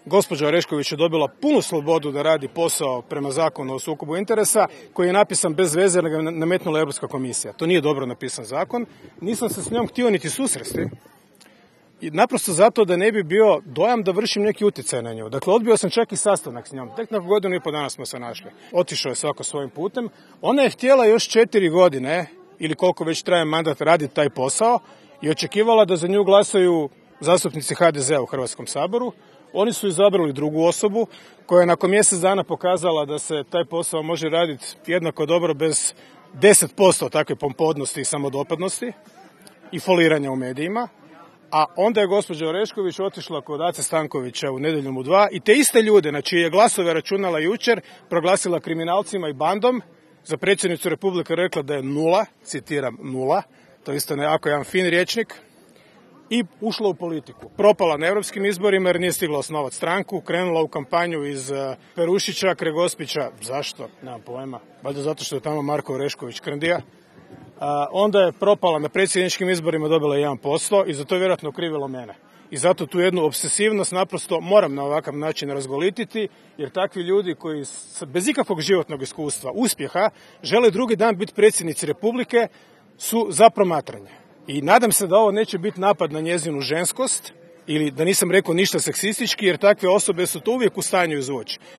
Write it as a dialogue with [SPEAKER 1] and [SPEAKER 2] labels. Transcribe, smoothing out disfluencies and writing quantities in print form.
[SPEAKER 1] Gospođa Orešković je dobila punu slobodu da radi posao prema zakonu o sukobu interesa koji je napisan bez veze jer ga nametnula Europska komisija. To nije dobro napisan zakon. Nisam se s njom htio niti susresti. I naprosto zato da ne bi bio dojam da vršim neki utjecaj na nju. Dakle, odbio sam čak i sastanak s njom. Tek nakon 1,5 godina smo se našli. Otišao je svako svojim putem. Ona je htjela još 4 godine, ili koliko već traje mandat, raditi taj posao i očekivala da za nju glasaju zastupnici HDZ-a u Hrvatskom saboru. Oni su izabrali drugu osobu koja je nakon mjesec dana pokazala da se taj posao može raditi jednako dobro bez 10% takve pompodnosti i samodopadnosti i foliranja u medijima. A onda je gospođa Orešković otišla kod Ace Stankovića u Nedjeljom u 2 i te iste ljude na čije je glasove računala jučer proglasila kriminalcima i bandom. Za predsjednicu Republike rekla da je nula, citiram nula, to je isto nekako jedan fin rječnik, i ušla u politiku. Propala na europskim izborima jer nije stigla osnovati stranku, krenula u kampanju iz Perušića, Kregospića, zašto? Nemam pojma, valjda zato što je tamo Marko Orešković krndija. Onda je propala na predsjedničkim izborima, dobila 1% i za to je vjerojatno krivilo mene. I zato tu jednu obsesivnost naprosto moram na ovakav način razgolititi, jer takvi ljudi koji bez ikakvog životnog iskustva, uspjeha, žele drugi dan biti predsjednici Republike su za promatranje. I nadam se da ovo neće biti napad na njezinu ženskost ili da nisam rekao ništa seksistički, jer takve osobe su to uvijek u stanju izvući.